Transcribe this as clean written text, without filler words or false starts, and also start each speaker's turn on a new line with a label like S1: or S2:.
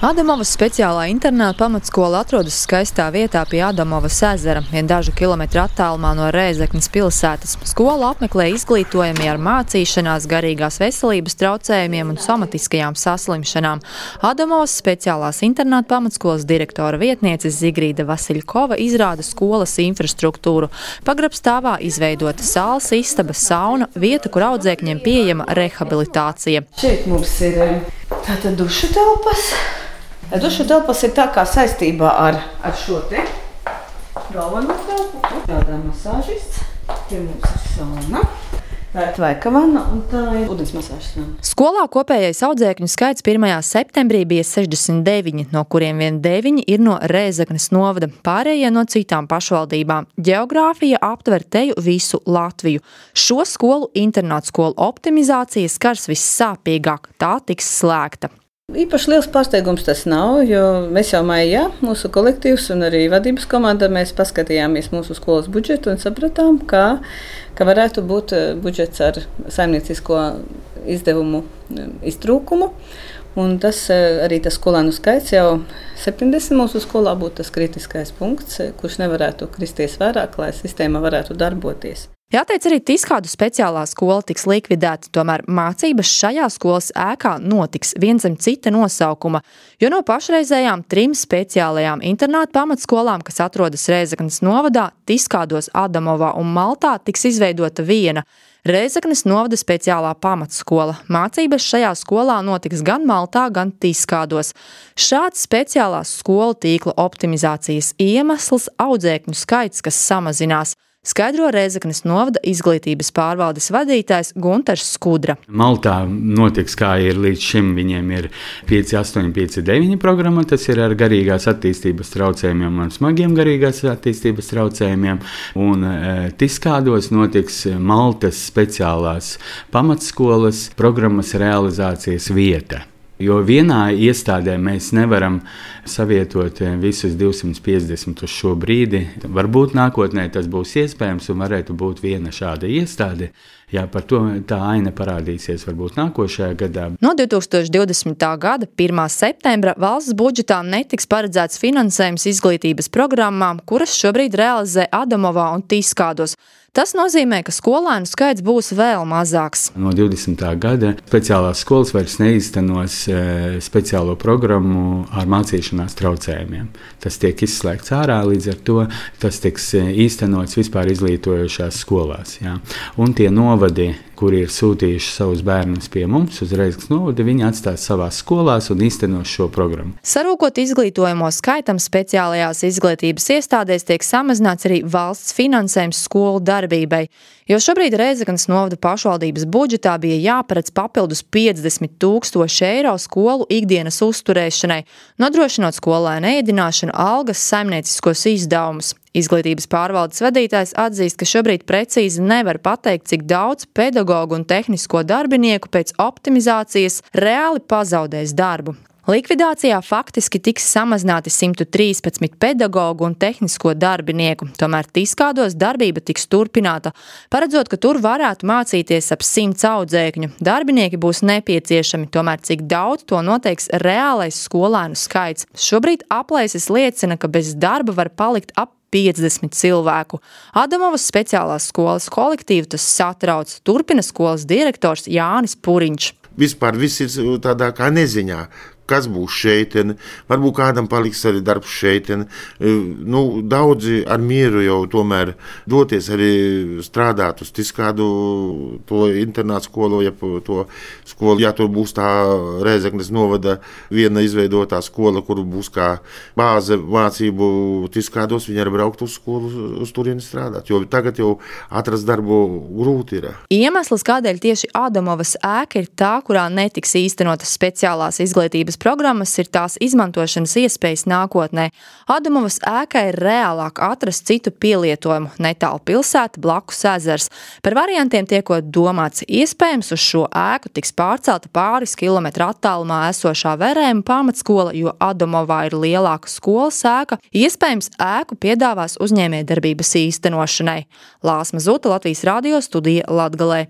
S1: Adamovas speciālā internāta pamatskola atrodas skaistā vietā pie Adamovas ezera, vien dažu kilometru attālumā no Rēzeknes pilsētas. Skolu apmeklē izglītojamie ar mācīšanās, garīgās veselības traucējumiem un somatiskajām saslimšanām. Adamovas speciālās internāta pamatskolas direktora vietniece Zigrīda Vasiļkova izrāda skolas infrastruktūru. Pagrabstāvā izveidota sāls istaba, sauna, vieta, kur audzēkņiem pieejama rehabilitācija.
S2: Šeit mums ir tātad dušu telpas. Dušu telpas ir tā kā saistībā ar šo te galveno telpu. Tādā masāžists. Tie mums ir sauna. Tā ir tvaika vanna un tā ir ūdens masāžas vanna.
S1: Skolā kopējais audzēkņu skaits 1. septembrī bija 69, no kuriem vien 9 ir no Rēzeknes novada, pārējie no citām pašvaldībām. Ģeogrāfija aptver teju visu Latviju. Šo skolu internāta skolu optimizācija skars vissāpīgāk, tā tiks slēgta.
S2: Īpaši liels pārsteigums tas nav, jo mēs jau maijā, mūsu kolektīvs un arī vadības komanda, mēs paskatījāmies mūsu skolas budžetu un sapratām, ka varētu būt budžets ar saimniecisko izdevumu iztrūkumu. Un tas arī tas skolēnu skaits jau 70 mūsu skolā būtu tas kritiskais punkts, kurš nevarētu kristies vairāk, lai sistēma varētu darboties.
S1: Jāteic, arī Tiskādu speciālā skola tiks likvidēta, tomēr mācības šajā skolas ēkā notiks viens zem cita nosaukuma, jo no pašreizējām 3 speciālajām internāta pamatskolām, kas atrodas Rēzeknes novadā, Tiskādos, Adamovā un Maltā, tiks izveidota viena Rēzeknes novada speciālā pamatskola. Mācības šajā skolā notiks gan Maltā, gan Tiskādos. Šāds speciālās skolu tīkla optimizācijas iemesls audzēkņu skaits, kas samazinās, skaidro Rēzeknes novada izglītības pārvaldes vadītājs Guntars Skudra.
S3: Maltā notiks, kā ir līdz šim, viņiem ir 5.8, 5.9 programma, tas ir ar garīgās attīstības traucējumiem un smagiem garīgās attīstības traucējumiem. Un Tiskādos notiks Maltas speciālās pamatskolas programmas realizācijas vieta. Jo vienā iestādē mēs nevaram savietot visus 250 uz šo brīdi. Varbūt nākotnē tas būs iespējams un varētu būt viena šāda iestāde. Jā, par to tā aina parādīsies varbūt nākošajā gadā.
S1: No 2020. gada 1. septembra valsts budžetā netiks paredzēts finansējums izglītības programmām, kuras šobrīd realizē Adamovā un Tiskādos. Tas nozīmē, ka skolēnu skaits būs vēl mazāks.
S3: No 20. gada speciālās skolas vairs neīstenos speciālo programmu ar mācīšanās traucējumiem. Tas tiek izslēgts ārā, līdz ar to tas tiks īstenots vispār izglītojošās skolās. Jā. Un tie novadi, kuri ir sūtījuši savus bērnus pie mums uz Rēzeknes novadu, viņi atstās savās skolās un īstenos šo programmu.
S1: Sarūkot izglītojamo skaitam, speciālajās izglītības iestādēs tiek samazināts arī valsts finansējums skolu darbībai, jo šobrīd Rēzeknes novada pašvaldības budžetā bija jāparedz papildus 50,000 eiro skolu ikdienas uzturēšanai, nodrošinot skolēnu ēdināšanu, algas, saimnieciskos izdevumus. Izglītības pārvaldes vadītājs atzīst, ka šobrīd precīzi nevar pateikt, cik daudz pedagogu un tehnisko darbinieku pēc optimizācijas reāli pazaudēs darbu. Likvidācijā faktiski tiks samazināti 113 pedagogu un tehnisko darbinieku, tomēr Tiskādos darbība tiks turpināta, paredzot, ka tur varētu mācīties ap 100 audzēkņu. Darbinieki būs nepieciešami, tomēr cik daudz to noteiks reālais skolēnu skaits. Šobrīd aplēses liecina, ka bez darba var palikt ap 50 cilvēku. Adamovas speciālās skolas kolektīvu tas satrauc, turpina skolas direktors Jānis Puriņš.
S4: Vispār viss ir tādā kā neziņā. Kas būs šeit, varbūt kādam paliks arī darbs šeit. Daudzi ar mieru jau tomēr doties arī strādāt uz Tiskādu to internātu skolu, ja to skolu. Ja tur būs tā Rēzeknes novada viena izveidotā skola, kur būs kā bāze mācību Tiskādos, viņi arī braukt uz skolu, uz turieni strādāt, jo tagad jau atrast darbu grūti ir.
S1: Iemesls, kādēļ tieši Adamovas ēka ir tā, kurā netiks īstenotas speciālās izglītības programmas, ir tās izmantošanas iespējas nākotnē. Adamovas ēkai ir reālāk atrast citu pielietojumu, netālu pilsēta, blakus ezers. Par variantiem tiekot domāts, iespējams uz šo ēku tiks pārcelta pāris kilometru attālumā esošā Verēma pamatskola, jo Adamovā ir lielāka skolas ēka, iespējams ēku piedāvās uzņēmējdarbības īstenošanai. Lāsma Zuta, Latvijas radio studija Latgalē.